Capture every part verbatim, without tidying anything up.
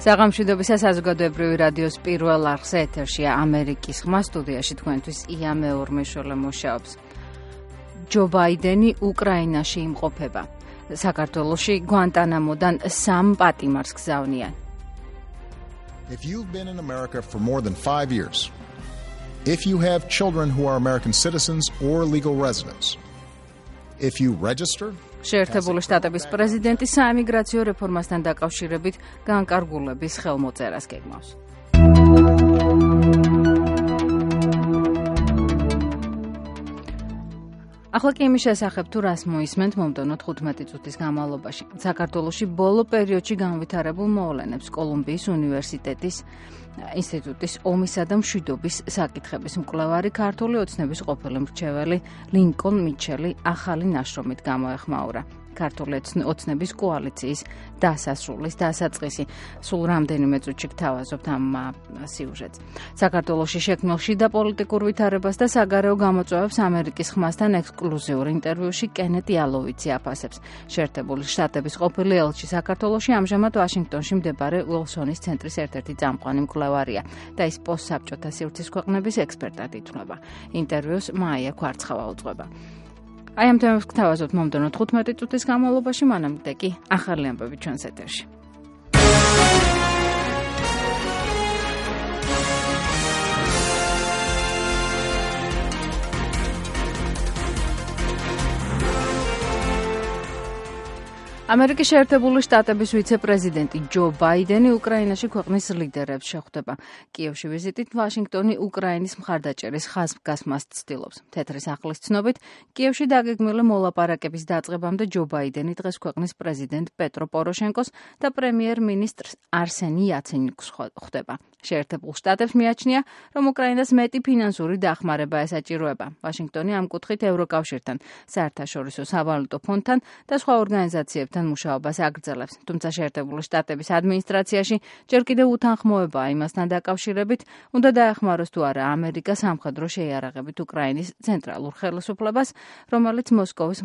საღამშვიდობისა საზოგადოებრივი რადიოს პირველ არხზე ეთერშია ამერიკის ხმა, სტუდიაში თქვენთვის ია მეორმეშველე მუშაობს. ჯო ბაიდენი უკრაინაში იმყოფება. საქართველოში გვანტანამოდან სამ პატიმარს გზავნიან. If you've been in America for more than five years, if you have children who are American citizens or legal residents, if you register შეერთებული შტატების პრეზიდენტი საიმიგრაციო რეფორმასთან დაკავშირებით განკარგულების ხელმოწერას გეგმავს. ახლა კი იმის შესახებ თუ რას მოისმენთ მომდევნო თხუთმეტი წუთის განმავლობაში. საქართველოში ბოლო პერიოდში განვითარებულ მოვლენებს კოლუმბიის უნივერსიტეტის ინსტიტუტის ომისა და მშვიდობის საკითხების მკვლევარი ქართული ოცნების ყოფილი მრჩეველი ლინკოლნ მიჩელი ახალი ნაშრომით გამოეხმაურა. ქართული ოცნების კოალიციის დასასრულის დასაწყისი. სულ რამდენიმე წუთში გთავაზობთ ამ სიუჟეტს. საქართველოში შექმნილ შიდა პოლიტიკურ ვითარებას და საგარეო გამოწვევებს ამერიკის ხმასთან ექსკლუზიურ ინტერვიუში კენეტ იალოვიცი აფასებს. შეერთებული შტატების ყოფილი ელჩი საქართველოში ამჟამად ვაშინგტონში მდებარე უილსონის ცენტრის ერთ-ერთი წამყვანი მკვლევარია და ის პოსტსაბჭოთა სივრცის ქვეყნების ექსპერტად ითვლება. ინტერვიუს მაია ქვარცხავა უძღვება. აი ამ თემებს გთავაზობთ მომდევნო თხუთმეტი წუთის განმავლობაში, მანამდე კი ახალი ამბები ჩვენს ეთერში. ამერიკის შეერთებული შტატების ვიცე-პრეზიდენტი ჯო ბაიდენი უკრაინაში ქვეყნის ლიდერებს შეხვდება. კიევში ვიზიტით ვაშინგტონი უკრაინის მხარდაჭერის ხაზგასმას ცდილობს. თეთრი სახლის ცნობით, კიევში დაგეგმილი მოლაპარაკების დაწყებამდე ჯო ბაიდენი დღეს ქვეყნის პრეზიდენტ პეტრო პოროშენკოს და პრემიერ-მინისტრ არსენი იაცენიუკს ხვდება. შეერთებულ შტატებს მიაჩნია, რომ უკრაინას მეტი ფინანსური დახმარება ესაჭიროება. ვაშინგტონი ამ კუთხით ევროკავშირთან, საერთაშორისო სავალუტო ფონდთან და სხვა ორგანიზაციებთან მუშაობას აგრძელებს. თუმცა შეერთებული შტატების ადმინისტრაციაში ჯერ კიდევ უთანხმოებაა იმასთან დაკავშირებით, უნდა დაეხმაროს თუ არა ამერიკა სამხედრო შეიარაღებით უკრაინის ცენტრალურ ხელისუფლებას, რომელიც მოსკოვის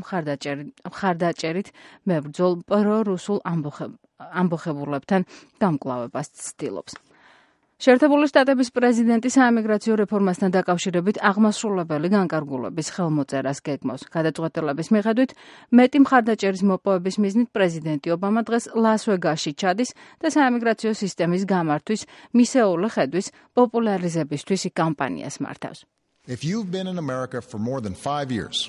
მხარდაჭერით მებრძოლ პრორუსულ ამბოხებულებთან გამკლავებას ცდილობს. შეერთებული შტატების პრეზიდენტი საიმიგრაციო რეფორმასთან დაკავშირებით აღმასრულებელი განკარგულების ხელმოწერას გეგმავს. გადაწყვეტილების მიხედვით, მეტი მხარდაჭერის მოპოვების მიზნით პრეზიდენტი ობამა დღეს ლას-ვეგასში ჩადის და საიმიგრაციო სისტემის გამართვის, მისეული ხედვის პოპულარიზებისთვის კამპანიას მართავს. If you've been in America for more than five years,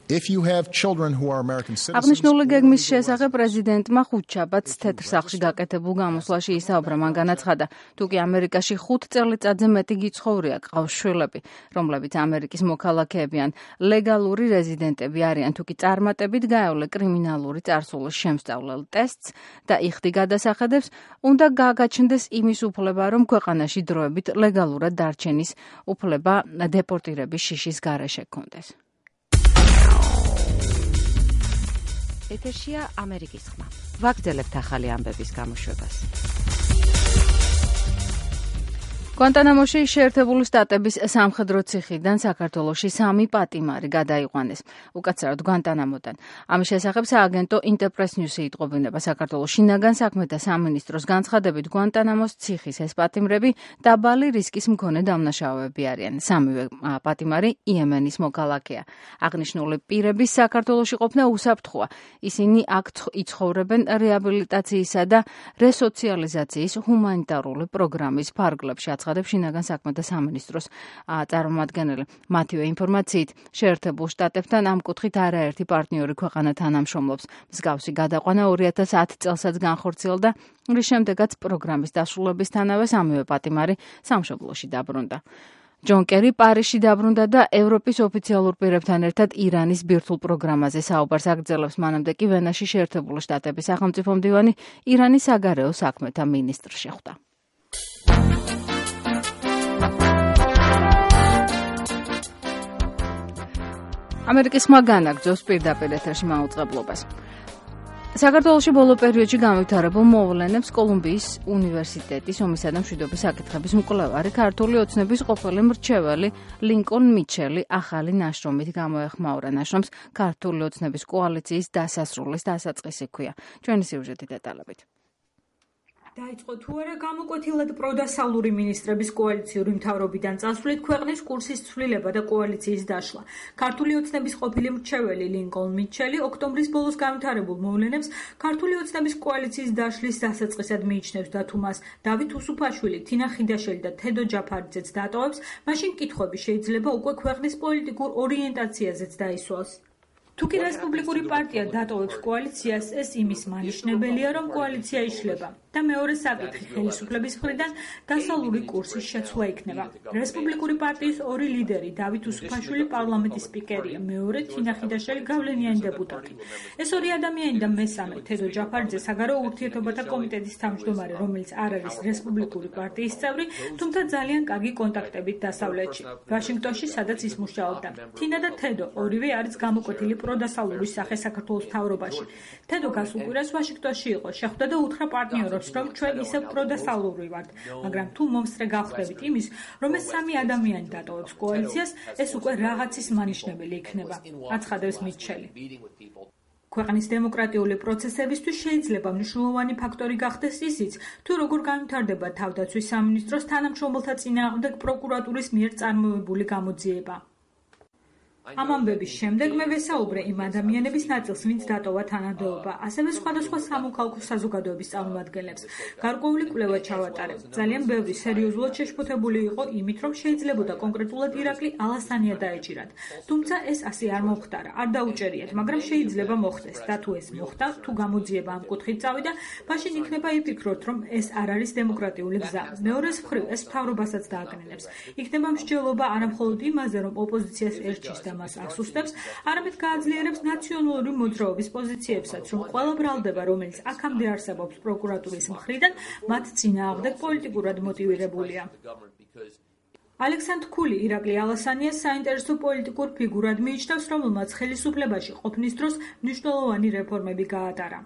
if you have children who are American citizens, აღნიშნული გეგმის შესახებ პრეზიდენტმა ხუთშაბათს თეთრ სახლში გაკეთებულ გამოსვლაში ისაუბრა, მან განაცხადა, თუ კი ამერიკაში ხუთ წელიწადზე მეტი გიცხოვრია, ყავს შვილები, რომლებიც ამერიკის მოქალაქეები ან ლეგალური რეზიდენტები არიან, თუ კი წარმატებით გაევლე კრიმინალური წარსულის შემსწავლელ ტესტს და იხდი გადასახედებს, უნდა გაგაჩნდეს იმის უფლება, რომ ქვეყანაში დროებით ლეგალურად დარჩენის უფლება დეპორტირების შიშის გარეშე ჰქონდეს. ეთერშია ამერიკის ხმა. ვაგრძელებთ ახალი ამბების გამოშვებას. გვანტანამოში შეერთებული შტატების სამხედრო ციხიდან საქართველოში სამი პატიმარი გადაიყვანეს. უკაცრავად გვანტანამოდან. ამის შესახებ სააგენტო ინტერპრეს ნიუსი იტყობინება. საქართველოს შინაგან საქმეთა სამინისტროს განცხადებით, გვანტანამოს ციხის ეს პატიმრები დაბალი რისკის მქონე დამნაშავეები არიან. სამივე პატიმარი იემენის მოქალაქეა. აღნიშნული პირების საქართველოში ყოფნა უსაფრთხოა. ისინი აქ იცხოვრებენ რეაბილიტაციისა და რესოციალიზაციის ჰუმანიტარული პროგრამის ფარგლებში. აცხადებს შინაგან საქმეთა სამინისტროს წარმომადგენელი. მათივე ინფორმაციით, შეერთებულ შტატებთან ამ კუთხით არაერთი პარტნიორი ქვეყანა თანამშრომლობს. მსგავსი გადაყვანა ორი ათას ათი წელსაც განხორციელდა, რის შემდეგაც პროგრამის დასრულებისთანავე სამივე პატიმარი სამშობლოში დაბრუნდა. ჯონ კერი პარიზში დაბრუნდა და ევროპის ოფიციალურ პირებთან ერთად ირანის ბირთვულ პროგრამაზე საუბარს აგრძელებს. მანამდე კი ვენაში შეერთებული შტატების სახელმწიფო მდივანი ირანის საგარეო საქმეთა მინისტრს შეხვდა. ამერიკის ხმა განაგრძობს პირდაპირ ეთერში მაუწყებლობას. საქართველოში ბოლო პერიოდში განვითარებულ მოვლენებს კოლუმბიის უნივერსიტეტის ომისა და მშვიდობის საკითხების მკვლევარი ქართული ოცნების ყოფილი მრჩეველი ლინკოლნ მიჩელი ახალი ნაშრომით გამოეხმაურა. ნაშრომს ქართული ოცნების კოალიციის დასასრულის დასაწყისი ჰქვია. ჩვენი სიუჟეტი დეტალებით. დაიწყო თუ არა გამოკვეთილად პროდასავლური მინისტრების კოალიციური მთავრობიდან წასვლით ქვეყნის კურსის ცვლილება და კოალიციის დაშლა. ქართული ოცნების ყოფილი მრჩეველი ლინკოლნ მიჩელი ოქტომბრის ბოლოს განვითარებულ მოვლენებს ქართული ოცნების კოალიციის დაშლის დასაწყისად მიიჩნევს და თუ მას დავით უსუფაშვილი, თინა ხიდაშელი და თედო ჯაფარიძეც დატოვებს, მაშინ კითხვები შეიძლება უკვე ქვეყნის პოლიტიკურ ორიენტაციაზეც დაისვას. თუ კი რესპუბლიკური პარტია დატოვებს კოალიციას, ეს იმის მანიშნებელია, რომ კოალიცია იშლება და მეორე საკითხი ხელისუფლების მხრიდან დასავლური კურსის შეცვლა იქნება. რესპუბლიკური პარტიის ორი ლიდერი, დავით უსუფაშვილი პარლამენტის სპიკერია, მეორე თინა ხიდაშელი გავლენიანი დეპუტატი. ეს ორი ადამიანი და მესამე თედო ჯაფარიძე საგარეო ურთიერთობათა კომიტეტის თავმჯდომარე, რომელიც არ არის რესპუბლიკური პარტიის წევრი, თუმცა ძალიან კარგი კონტაქტებით დასავლეთში, ვაშინგტონში, სადაც ის მუშაობდა. თინა და თედო ორივე არის გამოკვეთილი პროდასავლური სახე საქართველოს მთავრობაში. თედო გასულ კვირას ვაშინგტონში იყო, შეხვდა და უთხრა პარტნიორებს, რომ ჩვენ ისევ პროდასავლური ვართ, მაგრამ თუ მომსწრე გავხდებით იმის, რომ ეს სამი ადამიანი დატოვებს კოალიციას, ეს უკვე რაღაცის მანიშნებელი იქნება, აცხადებს მიჩელი. ქვეყნის დემოკრატიული პროცესებისთვის შეიძლება მნიშვნელოვანი ფაქტორი გახდეს ისიც, თუ როგორ განვითარდება თავდაცვის სამინისტროს თანამშრომელთა წინააღმდეგ პროკურატურის მიერ წარმოებული გამოძიება. ამ ამბების შემდეგ მე ვესაუბრე იმ ადამიანების ნაწილს, ვინც დატოვა თანადოობა, ასევე სხვადასხვა სამოქალაქო საზოგადოების წარმომადგენლებს. გარკვეული კვლევა ჩავატარებ. ძალიან ბევრი სერიოზულად შეშფოთებული იყო იმით, რომ შეიძლებოდა კონკრეტულად ირაკლი ალასანია დაეჭირათ. თუმცა ეს ასე არ მომხდარა, არ დაუჭერიათ, მაგრამ შეიძლება მოხდეს და თუ ეს მოხდა, თუ გამოძიება ამ კუთხით წავიდა, მაშინ იქნება იფიქროთ, რომ ეს არ არის დემოკრატიული გზა. მეორეს მხრივ ეს მთავრობასაც დააკნინებს. იქნება მსჯელობა არა მხოლოდ იმაზე, რომ ოპოზიციას ერჩის და მას ასუსტებს, არამედ გააძლიერებს ნაციონალური მოძრაობის პოზიციებსაც, რომ ყველა ბრალდება, რომელიც აქამდე არსებობს პროკურატურის მხრიდან, მათ წინააღმდეგ პოლიტიკურად მოტივირებულია. ალექსანდრ ქული ირაკლი ალასანიას საინტერესო პოლიტიკურ ფიგურად მიიჩნევს, რომელმაც ხელისუფლებაში ყოფნის დროს მნიშვნელოვანი რეფორმები გაატარა.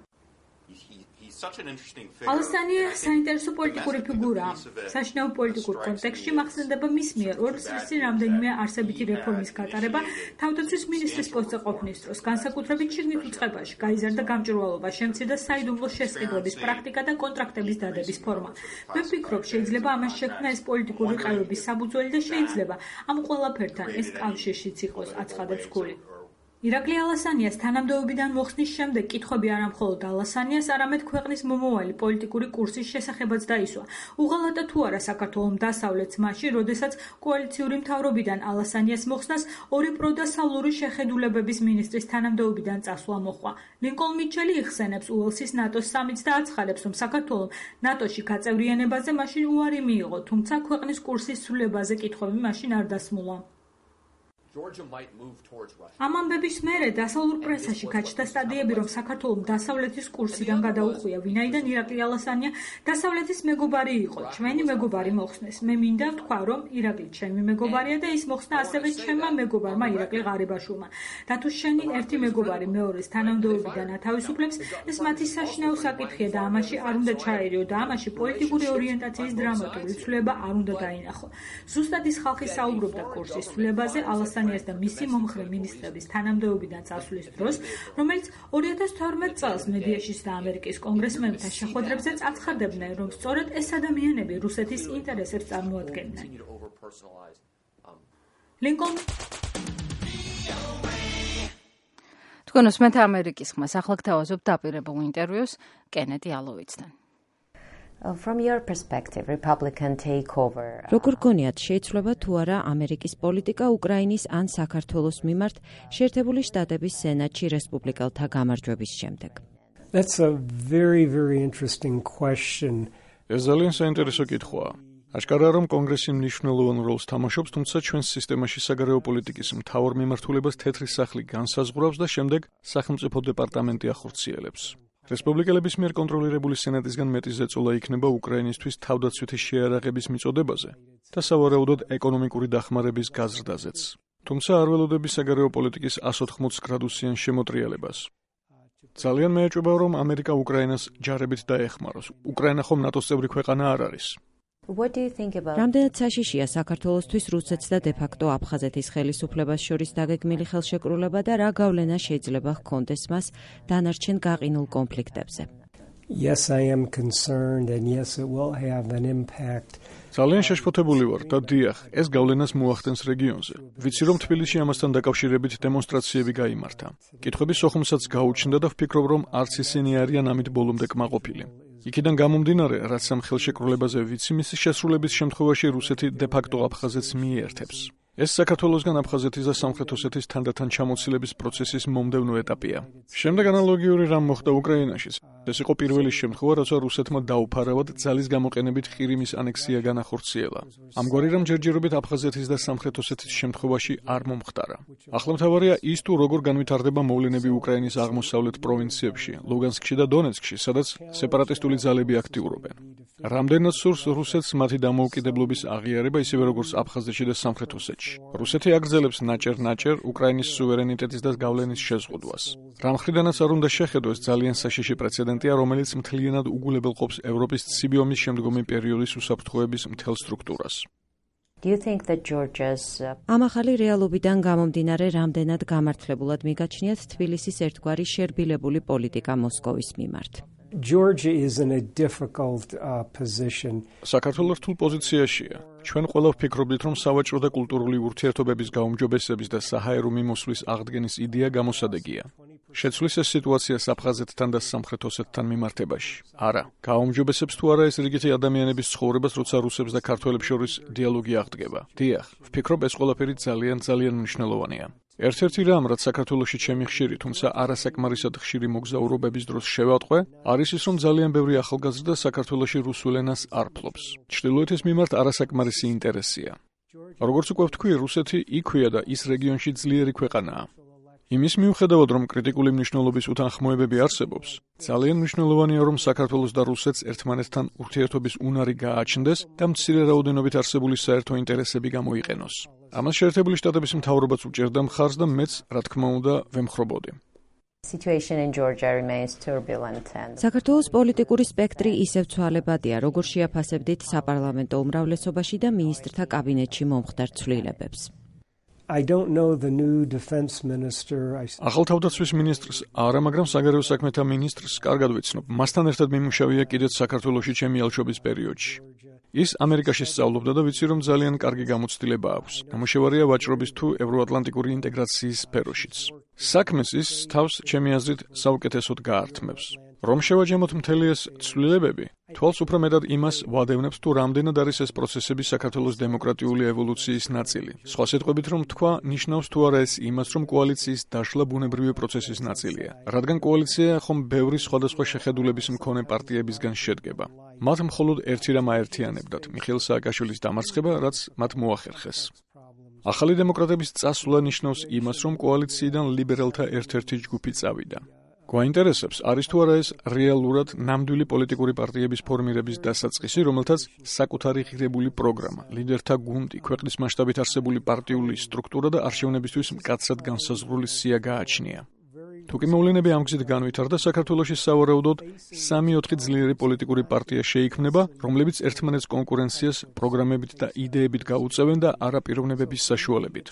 ალასანია საინტერესო პოლიტიკური ფიგურაა. საშინაო პოლიტიკურ კონტექსტში მახსენდება მის მიერ ორ წლის წინ რამდენიმე არსებითი რეფორმის გატარება თავდაცვის მინისტრის პოსტზე ყოფნის დროს, განსაკუთრებით შიგნით უწყებაში, გაიზარდა გამჭვირვალობა, შემცირდა საიდუმლო შესყიდვების პრაქტიკა და კონტრაქტების დადების ფორმა. მე ვფიქრობ, შეიძლება ამას შექმნა ეს პოლიტიკური ყევების საფუძველი და შეიძლება ამ ყველაფერთან ეს კავშირშიც იყოს, აცხადებს ქული. ირაკლი ალასანიას თანამდებობიდან მოხსნის შემდეგ კითხვები არა მხოლოდ ალასანიას, არამედ ქვეყნის მომავალი პოლიტიკური კურსის შესახებაც დაისვა. უღალატა თუ არა საქართველოს დასავლეთს მაშინ, როდესაც კოალიციური მთავრობიდან ალასანიას მოხსნას ორი პროდასავლური შეხედულებების მინისტრის თანამდებობიდან წასვლა მოჰყვა. ლინკოლნ მიჩელი იხსენებს უელსის ნატოს სამიტს და აცხადებს, რომ საქართველოს ნატოში გაწევრიანებაზე მაშინ უარი მიიღო, თუმცა ქვეყნის კურსის ცვლილებაზე კითხვები მაშინ არ დასმულა. ამ ამბების მერე დასავლურ პრესაში გაჩნდა სტატიები, რომ საქართველოს დასავლეთის კურსიდან გადაუხვია, ვინაიდან ირაკლი ალასანია დასავლეთის მეგობარი იყო. ჩვენი მეგობარი მოხსნეს. მე მინდა ვთქვა, რომ ირაკლი ჩემი მეგობარია და ის მოხსნა ასევე ჩემმა მეგობარმა ირაკლი ღარიბაშვილმა. და თუ შენი ერთი მეგობარი მეორეს თანამდებობიდან ათავისუფლებს, ეს მათი საშინაო საკითხია და ამაში არ უნდა ჩაერიო და ამაში პოლიტიკური ორიენტაციის დრამატული ცვლილება არ უნდა დაინახო. ზუსტად ის ხალხი საუბრობდა კურსის ცვლილებაზე ალასანიას და მისი მომხრე მინისტრების თანამდებობიდან წასვლის დროს, რომელიც ორი ათას თორმეტ წელს მედიაში და ამერიკის კონგრესმენებთან შეხვედრებზეც აცხადებდნენ, რომ სწორედ ეს ადამიანები რუსეთის ინტერესებს წარმოადგენდნენ. ლინკოლნ თქვენ უსმენთ ამერიკის ხმას, ახლა გთავაზობთ დაპირებულ ინტერვიუს კენედი ალოვიცთან. From your perspective, Republican takeover. როგორ გონიათ, შეიცვლება თუ არა ამერიკის პოლიტიკა უკრაინის ან საქართველოს მიმართ შეერთებული შტატების სენატში რესპუბლიკელთა გამარჯვების შემდეგ? That's a very very interesting question. ეს ძალიან საინტერესო კითხვაა. აშკარაა, რომ კონგრესი მნიშვნელოვან როლს თამაშობს, თუმცა ჩვენს სისტემაში საგარეო პოლიტიკის მთავარ მიმართულებას თეთრი სახლი განსაზღვრავს და შემდეგ სახელმწიფო დეპარტამენტი ახორციელებს. რესპუბლიკელების მიერ კონტროლირებული სენატისგან მეტი ზეწოლა იქნება უკრაინისთვის თავდაცვითი შეიარაღების მიწოდებაზე და სავარაუდოდ ეკონომიკური დახმარების გაზრდაზეც. თუმცა არ ველოდები საგარეო პოლიტიკის one hundred eighty გრადუსიან შემოტრიალებას. ძალიან მეეჭვება, რომ ამერიკა უკრაინას ჯარებით დაეხმაროს. უკრაინა ხომ ნატოს წევრი ქვეყანა არ არის. რამდენად საშიშია საქართველოსთვის რუსეთს და დე-ფაქტო აფხაზეთის ხელისუფლებას შორის დაგეგმილი ხელშეკრულება და რა გავლენა შეიძლება ჰქონდეს მას დანარჩენ გაყინულ კონფლიქტებზე? Yes, I am concerned and yes, it will have an impact. ძალიან შეშფოთებული ვარ და დიახ, ეს გავლენას მოახდენს რეგიონზე. ვიცი რომ თბილისში ამასთან დაკავშირებით დემონსტრაციები გაიმართა. კითხვები სოხუმსაც გაუჩნდა და ვფიქრობ რომ არც ისინი არიან ამით ბოლომდე კმაყოფილი. იქიდან გამომდინარე, რაც ამ ხელშეკრულებაზე ვიცი, მისი შესრულების შემთხვევაში რუსეთი დე-ფაქტო აფხაზეთს მიერთებს. ეს საქართველოსგან აფხაზეთის და სამხრეთ ოსეთის თანდათან ჩამოცილების პროცესის მომდევნო ეტაპია. შემდეგ ანალოგიური რამ მოხდა უკრაინაშიც. ეს იყო პირველი შემთხვევა, როცა რუსეთმა დაუფარავად ძალის გამოყენებით ყირიმის ანექსია განახორციელა. ამგვარი რამ ჯერჯერობით აფხაზეთის და სამხრეთ ოსეთის შემთხვევაში არ მომხდარა. ახლა მთავარია ის თუ როგორ განვითარდება მოვლენები უკრაინის აღმოსავლეთ პროვინციებში, ლუგანსკში და დონეცკში, სადაც სეპარატისტული ძალები აქტიურობენ. რამდენად სურს რუსეთს მათი დამოუკიდებლობის აღიარება, ისევე როგორც აფხაზეთში და სამხრეთ ოსეთში. რუსეთი აგრძელებს ნაჭერ-ნაჭერ უკრაინის სუვერენიტეტის და გავლენის შეზღუდვას. რამ ხრიდანაც არ უნდა შეხედოს ძალიან საშიში პრეცედენტია, რომელიც მთლიანად უგულებელყოფს ევროპის ცივი ომის შემდგომი პერიოდის უსაფრთხოების მთელ სტრუქტურას. Do you think that Georgia's ამ ახალი რეალობიდან გამომდინარე რამდენად გამართლებულად მიგაჩნიათ თბილისის ერთგვარი შერბილებული პოლიტიკა მოსკოვის მიმართ? Georgia is in a difficult uh, position. საქართველო რთულ პოზიციაშია. ჩვენ ყველა ვფიქრობთ, რომ სავაჭრო და კულტურული ურთიერთობების გაუმჯობესების და საჰაერო მიმოსვლის აღდგენის იდეა გამოსადეგია. შეცვლის ეს სიტუაცია აფხაზეთთან და სამხრეთ ოსეთთან მიმართებაში. არა, გაუმჯობესებს თუ არა ეს რიგითი ადამიანების ცხოვრებას, როცა რუსებს და ქართველებს შორის დიალოგი აღდგება. დიახ, ვფიქრობ ეს ყველაფერი ძალიან ძალიან მნიშვნელოვანია. ერთ-ერთი რამ, რაც საქართველოში ჩემი ხშირი, თუმცა არასაკმარისად ხშირი მოგზაურობების დროს შევატყვე, არის ის, რომ ძალიან ბევრი ახალგაზრდა საქართველოში რუსულ ენას არ ფლობს. ჩრდილოეთის მიმართ არასაკმარისი ინტერესია. როგორც უკვე ვთქვი, რუსეთი იქვეა და ის რეგიონში ძლიერი ქვეყანაა. იმის მიუხედავად, რომ კრიტიკული მნიშვნელობის უთანხმოებები არსებობს, ძალიან მნიშვნელოვანია, რომ საქართველოს და რუსეთს ერთმანეთთან ურთიერთობის უნარი გააჩნდეს და მცირე რაოდენობით არსებული საერთო ინტერესები გამოიყენოს. ამას შეერთებული შტატების მთავრობაც უჭერდა მხარს და მეც, რა თქმა უნდა, ვემხრობოდი. Situation in Georgia remains turbulent and საქართველოს პოლიტიკური სპექტრი ისევ ცვალებადია, როგორ შეაფასებდით საპარლამენტო უმრავლესობაში და მინისტრთა კაბინეტში მომხდარ ცვლილებებს. I don't know the new defense minister. ახალ თავდაცვის მინისტრს არა, მაგრამ საგარეო საქმეთა მინისტრს კარგად ვიცნობ. მასთან ერთად მიმუშავია კიდეც საქართველოში ჩემი ალშობის პერიოდში. ის ამერიკაში სწავლობდა და ვიცი, რომ ძალიან კარგი გამოცდილება აქვს. ნამუშევარია ვაჭრობის თუ ევროატლანტიკური ინტეგრაციის სფეროშიც. საქმეს ის თავს ჩემი აზრით საუკეთესოდ გაართმევს. რომ შევაჯამოთ მთელი ეს ცვლილებები, თვალს უფრო მეტად იმას ვადევნებს, თუ რამდენად არის ეს პროცესები საქართველოს დემოკრატიული ევოლუციის ნაწილი. სხვა სიტყვებით რომ თქვა, ნიშნავს თუ არა ეს იმას, რომ კოალიციის დაშლა ბუნებრივი პროცესის ნაწილია. რადგან კოალიცია ხომ ბევრი სხვადასხვა შეხედულების მქონე პარტიებისგან შედგება. მათ მხოლოდ ერთი რამ აერთიანებდათ, მიხეილ სააკაშვილის დამარცხება, რაც მათ მოახერხეს. ახალი დემოკრატების წასვლა ნიშნავს იმას, რომ კოალიციიდან ლიბერალთა ერთ-ერთი ჯგუფი წავიდა. გვაინტერესებს, არის თუ არა ეს რეალურად ნამდვილი პოლიტიკური პარტიების ფორმირების დასაწყისი, რომელთაც საკუთარი ღირებული პროგრამა, ლიდერთა გუნდი, ქვეყნის მასშტაბით არსებული პარტიული სტრუქტურა და არჩევნებისთვის მკაცრად განსაზღვრული სია გააჩნია. თუკი მოვლენები ამ გზით განვითარდა, საქართველოში სავარაუდოდ სამი-ოთხი ძლიერი პოლიტიკური პარტია შეიქმნება, რომლებიც ერთმანეთს კონკურენციას პროგრამებით და იდეებით გაუწევენ და არა პიროვნებების საშუალებით.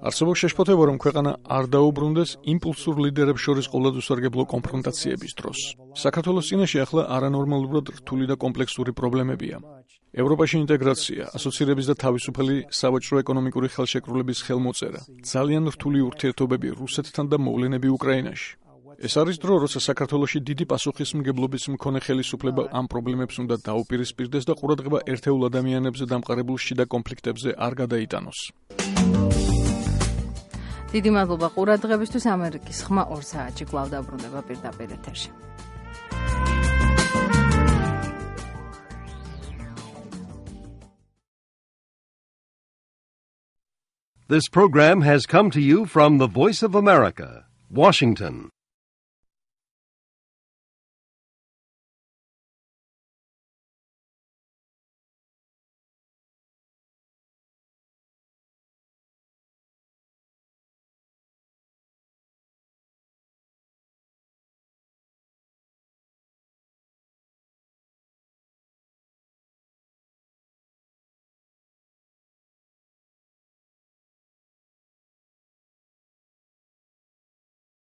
არსებობს შეშფოთება, რომ ქვეყანა არ დაუბრუნდეს იმპულსურ ლიდერებს შორის ყოვლადუსარგებლო კონფრონტაციების დროს. საქართველოს წინაშე ახლა არანორმალურად რთული და კომპლექსური პრობლემებია. ევროპაში ინტეგრაცია, ასოცირების და თავისუფალი სავაჭრო ეკონომიკური ხელშეკრულების ხელმოწერა, ძალიან რთული ურთიერთობები რუსეთთან და მოვლენები უკრაინაში. ეს არის დრო, როცა საქართველოში დიდი პასუხისმგებლობის მქონე ხელისუფლება ამ პრობლემებს უნდა დაუპირისპირდეს და ყურადღება ერთეულ ადამიანებზე დამყარებულ შიდა კონფლიქტებზე არ გადაიტანოს. დიდი მადლობა ყურადღებისთვის. ამერიკის ხმა ორ საათში კვლავ დაბრუნდება პირდაპირ ეთერში. This program has come to you from the Voice of America, Washington.